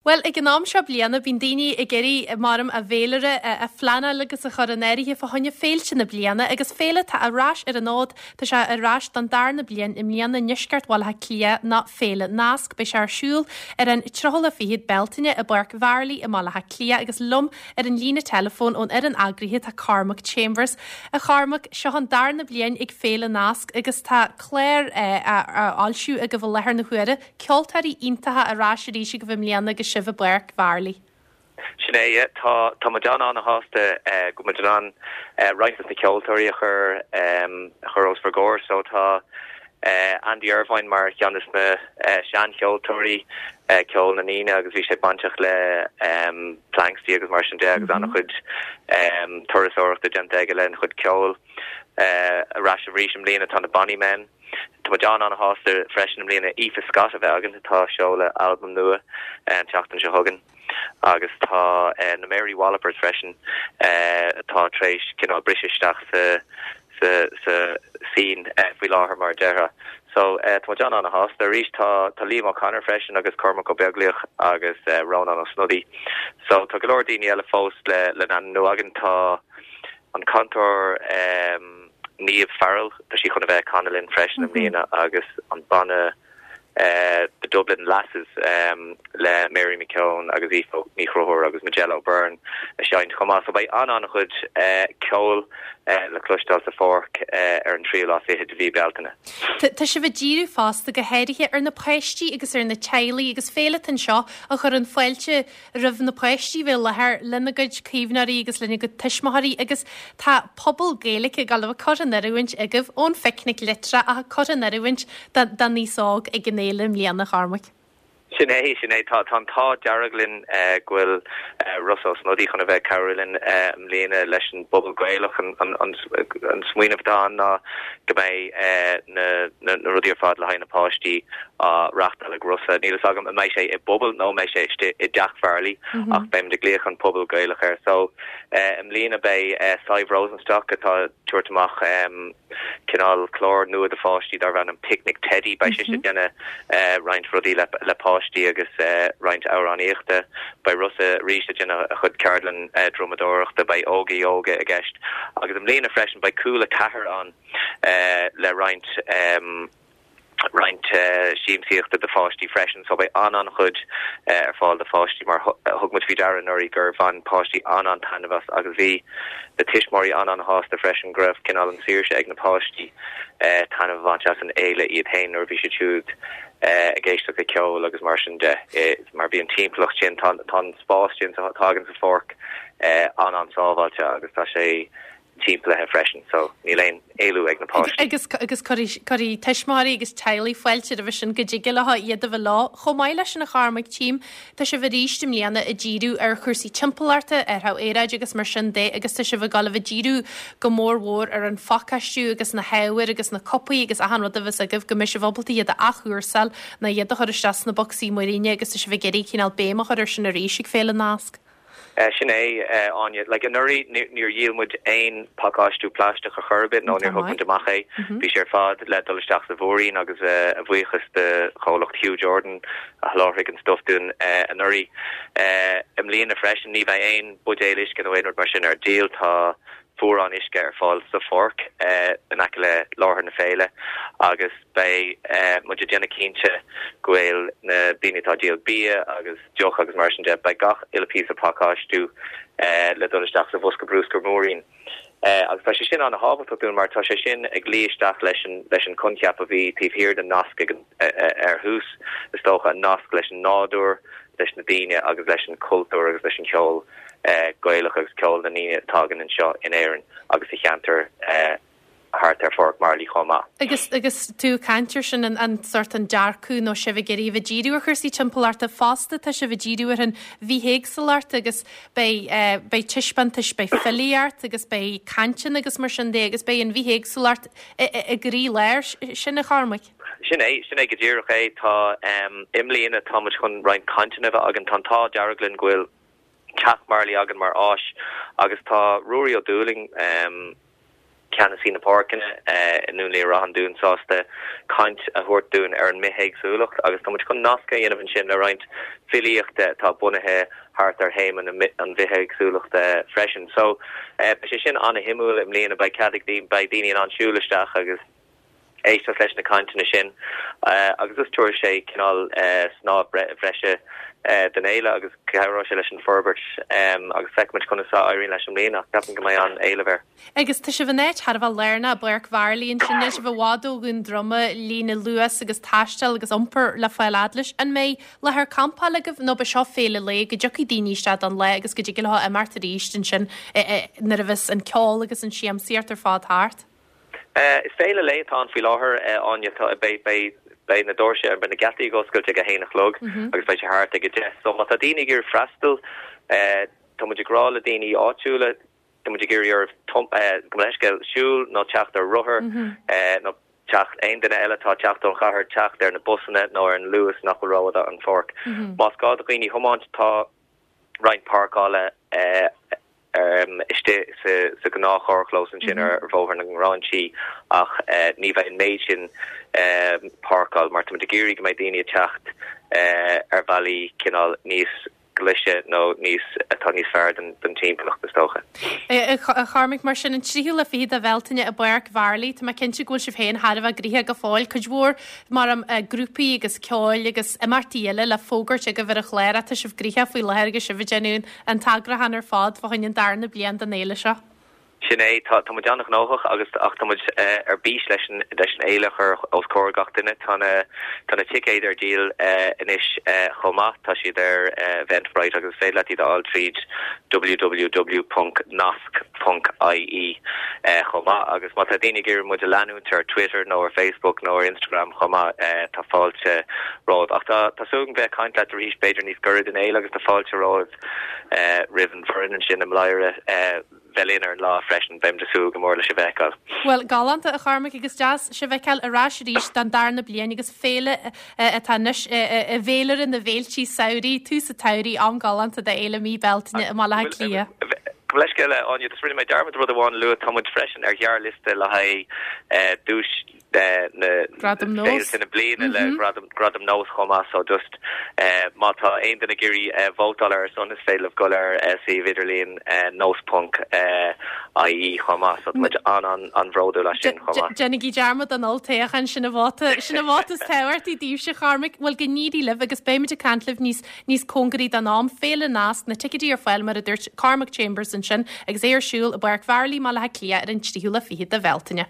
Bhuel, ag an am seo bliana, bíonn daoine ag iarraidh, maram, a bhféilire a phleanáil agus a chur in áirithe fá choinne féilte na bliana agus féile atá ar ais ar an fhód, tá sé ar ais don darna bliain i mbliana i ndeisceart Bhaile Átha Cliath ná Féile Nasc. Beidh sé ar siúl ar an tríochú lá fichead Bealtaine i bPáirc Mharlaí i mBaile Átha Cliath agus liom ar an líne teileafóin ón fhoireann eagraithe tá Cormac Chambers. A Chormaic, seo an darna bliain ag Féile Nasc agus tá clár á fhoilsiú agaibh i láthair na huaire. Ceoltóirí iontacha ar ais arís agaibh i mbliana agus sibh i bPáirc Mharlaí. Sin é, yeah. Tá, tá muid an-an-shásta go bhfuil muid in ann roinnt dos na ceoltóirí a chur, a chur os bhur gcomhair. So tá Andy Irvine mar cheann des na seancheoltóirí, ceol na ndaoine agus bhí sé bainteach le Planxty agus mar sin de agus an-chuid turasóireachta déanta aige lena chuid ceoil. Ar ais arís i mbliana tá na Bonny Men. Tá muid an-an-shásta freisin i mbliana Aoife Scott a bheith againn, atá ag seoladh albam nua an tseachtain seo chugainn, agus tá na Mary Wallopers freisin atá tar éis cineál briseadh isteach sa sa sa scene faoi láthair mar a déarfá. So tá muid an-an-shásta. Arís tá tá Liam O'Connor freisin agus Cormac Ó Beaglaoich agus Rónán Ó Snodaigh. So tá go leor daoine eile fós le le n-ainmniú againn. Tá an cantóir Niamh Farrell, tá sí chun a bheith ag canadh linn freisin i mbliana agus an banna The Dublin Lasses le Mary McKeone agus Aoife Ní Chonchúir agus Majella O'Byrne ag seinnt chomh maith. So beidh an-an-chuid ceoil le cloisteáil sa pháirc ar an tríú lá fichead de mhí Bealtaine. Tá sibh ag díriú fosta go háirithe ar na páistí agus ar na teaghlaigh agus féile atá anseo a chuireann fáilte roimh na páistí bheith i láthair lena gcuid caomhnóirí agus lena gcuid tuismitheoirí agus tá puball Gaeilge ag dul a bheith curtha in oiriúint agaibh ón Phicnic Litreach ach curtha in oiriúint don aos óg ag an fhéile i mbliana, a Chormaic. Sin é, sin é. Tá an t-ádh dearg linn go bhfuil Rossa Ó Snodaigh chun a bheith ag cabhrú linn i mbliana leis an bPuball Gaelach. An smaoineamh atá ann ná go mbeidh na rudaí ar fad le haghaidh na páistí á reachtáil ag Rossa. Níl fhios agam an mbeidh sé i bpuball nó an mbeidh sé istigh i dTeach Mharlaí ach beimid ag glaoch an Puball Gaelach air. So i mbliana beidh Sadhbh Rosenstock atá ag tabhairt amach cineál clár nua do pháistí darb ainm Picnic Teddy. Beidh sise ag déanamh roinnt rudaí le páistí agus roinnt amhránaíochta. Beidh Rossa arís ag déanamh a chuid ceardlann drumadóireachta. Beidh Óga Yoga i gceist. Agus i mbliana freisin beidh Cúla 4 ann le roinnt roinnt siamsaíochta do pháistí freisin so beidh an-an-chuid ar fáil do pháistí mar thug muid faoi deara anuraidh gur bhain páistí an-an-taitneamh as agus bhí na tuismitheoirí an-an-shásta freisin go raibh cineál an saoirse ag na páistí taitneamh a bhaint as an fhéile iad féin nuair a bhí siad siúd ag éisteacht le ceol agus mar sin de mar bhí an timpeallacht sin tá an spás sin atá againn sa pháirc an-an-sábháilte agus tá sé timpeallaithe freisin so níl aon éalú ag na páistí. Agus agus cuirfidh tuismitheoirí agus teaghlaigh fáilte roimhe sin go dtig leo iad a bheith leo. Chomh maith leis sin a Chormaic, tchím, tá sibh arís i mbliana ag díriú ar chúrsaí timpeallachta, ar athrú aeráide agus mar sin de agus tá sibh ag dul a bheith ag díriú go mór mhór ar an phacáistiú agus na hábhair agus na cupaí agus achan rud a bheas agaibh go mbeidh sibh ábalta iad a athchúrsáil nó iad a chur isteach sna bocsaí muiríne agus tá sibh ag iarraidh cineál béim a chur ar sin arís ag Féile Nasc. Sin é, Áine. Like, anuraidh níor dhíol muid aon pacáistiú plaisteach ar chor ar bith nó níor thug muid amach é. Bhí sé ar fad le dul isteach sa mhúirín agus a bhuíochas do chomhlacht Hugh Jordan a sholáthraigh an stuif dúinn anuraidh. I mbliana freisin ní bheidh aon buidéal uisce nó aon rud mar sin ar díol. Tá fuarán uisce ar fáil sa pháirc in aice le láthair na féile agus beidh muid ag déanamh cinnte go bhfuil na daoine atá ag díol bia agus deoch agus mar sin de, beidh gach uile píosa pacáistiú le dul isteach sa bhosca brúscair múirín. Agus tá sé sin an-thábhachtach dúinn mar tá sé sin ag luí isteach leis an leis an coincheap a bhí taobh thiar den nasc ag an ar thús, is dócha, an nasc leis an nádúr, leis na daoine agus leis an chultúr agus leis an cheol Gaelach agus ceol na ndaoine atá againn anseo in Éirinn agus sa cheantar thart ar Pháirc Mharlaí chomh maith. Agus agus tú ag caint ar sin, an sórt an dearcadh nó sibh ag iarraidh a bheith ag díriú ar chúrsaí timpeallachta fosta, tá sibh ag díriú ar an bhithéagsúlacht agus beidh beidh taispeántais, beidh filíocht agus beidh cainteanna agus mar sin de agus beidh an bhithéagsúlacht i gcroílár sin, a Chormaic. Sin é, sin é go díreach é. Tá, i mbliana tá muid chun roinnt cainteanna a bheith againn. Tá an t-ádh dearg linn go bhfuil Teach Marlaí againn mar áis agus tá Ruairí Ó Dúlaing. Ceannasaí na Páirceanna i nDún Laoghaire-Ráth an Dúin sásta caint a thabhairt dúinn ar an mbithéagsúlacht agus tá muid chun nasc a dhéanamh ansin le roinnt filíochta atá bunaithe thart ar théama an bhithéagsúlachta freisin. So, beidh sé sin an-shuimiúil i mbliana, beidh cead ag daoine, beidh daoine in ann siúl isteach agus éisteacht leis na cainteanna sin agus just tabharfaidh sé cineál snáth breise don fhéile agus cabhróidh sé leis an forbairt agus feicfimid conas a éiríonn leis i mbliana ach ceapaim go mbeidh an-éileamh air. Agus tá sibh in áit thar a bheith lárnach, i bPáirc Mharlaí ansin, níl sibh i bhfad ó Dhún Droma, líne Luas agus taisteal agus iompar le fáil fhad leis. An mbeidh láthair campála agaibh nó ab é seo féile lae go dtiocfaidh daoine isteach don lá agus go dtig leo imeacht arís ansin nuair a bheas an ceol agus an siamsaíocht ar fad thart? Is féile lae atá ann faoi láthair, Áine. Tá, beidh, beidh, beidh na doirse, beidh na geataí ag oscailt ag a haon a chlog agus beidh sé thart ag a deich. So má tá daoine ag iarraidh freastal, tá muid ag rá le daoine áitiúla, tá muid ag iarraidh orthu, gabh mo leithscéal, siúl nó teacht ar rothar nó teacht, aon duine eile atá ag teacht ón chathair, teacht ar na busanna nó ar an Luas nach bhfuil rófhada ón pháirc. Más gá do dhaoine tiomáint, tá roinnt páirceála istigh sa ghnáth-charrchlós ansin ar Bhóthar na nGráinsí ach ní bheidh an méid sin páirceáil mar táimid ag iarraidh go mbeidh daoine ag teacht ar bhealaí cineál níos glaise nó níos, atá níos fearr don timpeallacht is dócha. A Chormaic, mar sin, an tríú lá fichead de Bhealtaine i bPáirc Mharlaí, tá mé cinnte go bhfuil sibh féin thar a bheith gnoitheach go fóill, cuid mhór mar grúpaí agus ceoil agus imeachtaí eile le fógairt agaibh ar an chlár ach tá sibh gnoitheach faoi láthair agus sibh ag déanamh an t-eagrúchán ar fad fá choinne an darna bliain den fhéile seo. Sin é, tá, tá muid an-ghnóthach agus, ach tá muid ar bís leis an, leis an fhéile a chur os comhair gach duine. Tá na, tá na ticéid ar díol anois chomh maith, tá siad ar Eventbrite agus is féidir leat iad a fháil tríd www.nasc.ie chomh maith. Agus má tá daoine ag iarraidh muid a leanúint ar Twitter nó ar Facebook nó ar Instagram chomh maith, tá fáilte romhaibh. Ach tá, tá súil agam bheith ag caint leat arís b'fhéidir níos gaire don fhéile agus tá fáilte romhaibh roimh an bhfoireann ansin i mBladhaire. bheith linn ar an lá freisin. Beimid ag súil go mór le sibh a fheiceáil. Bhuel, galánta, a Chormaic, agus deas sibh a fheiceáil ar ais arís don darna bliain agus féile atá anois i bhféilire na bhféiltí samhraidh, tús an tsamhraidh, am galánta do fhéile mí Bealtaine i mBaile Átha Cliath. Gabh mo leithscéal, a Áine, just rinne mé dearmad rud amháin a lua, tá muid freisin ar ghearrliosta le haghaidh duais na Gradam Nós. Féilte na bliana le Gradam Gradam Nós chomh maith so just má tá aon duine ag iarraidh vótáil ar ár son is féidir libh dul ar suíomh idirlíon nós ponc ie chomh maith so tá muid an an an-bhródúil as sin chomh maith. Déanaigí dearmad den olltoghchán, sin an vóta sin an vóta is tábhachtaí daoibhse, Chormaic. Bhuel go n-éirí libh agus beimid ag caint libh níos níos cóngaraí don am. Féile Nasc, na ticéidí ar fáil mar a dúirt Cormac Chambers ansin agus é ar siúl i bPáirc Mharlaí i mBaile Átha Cliath ar an tríú lá fichead de Bhealtaine.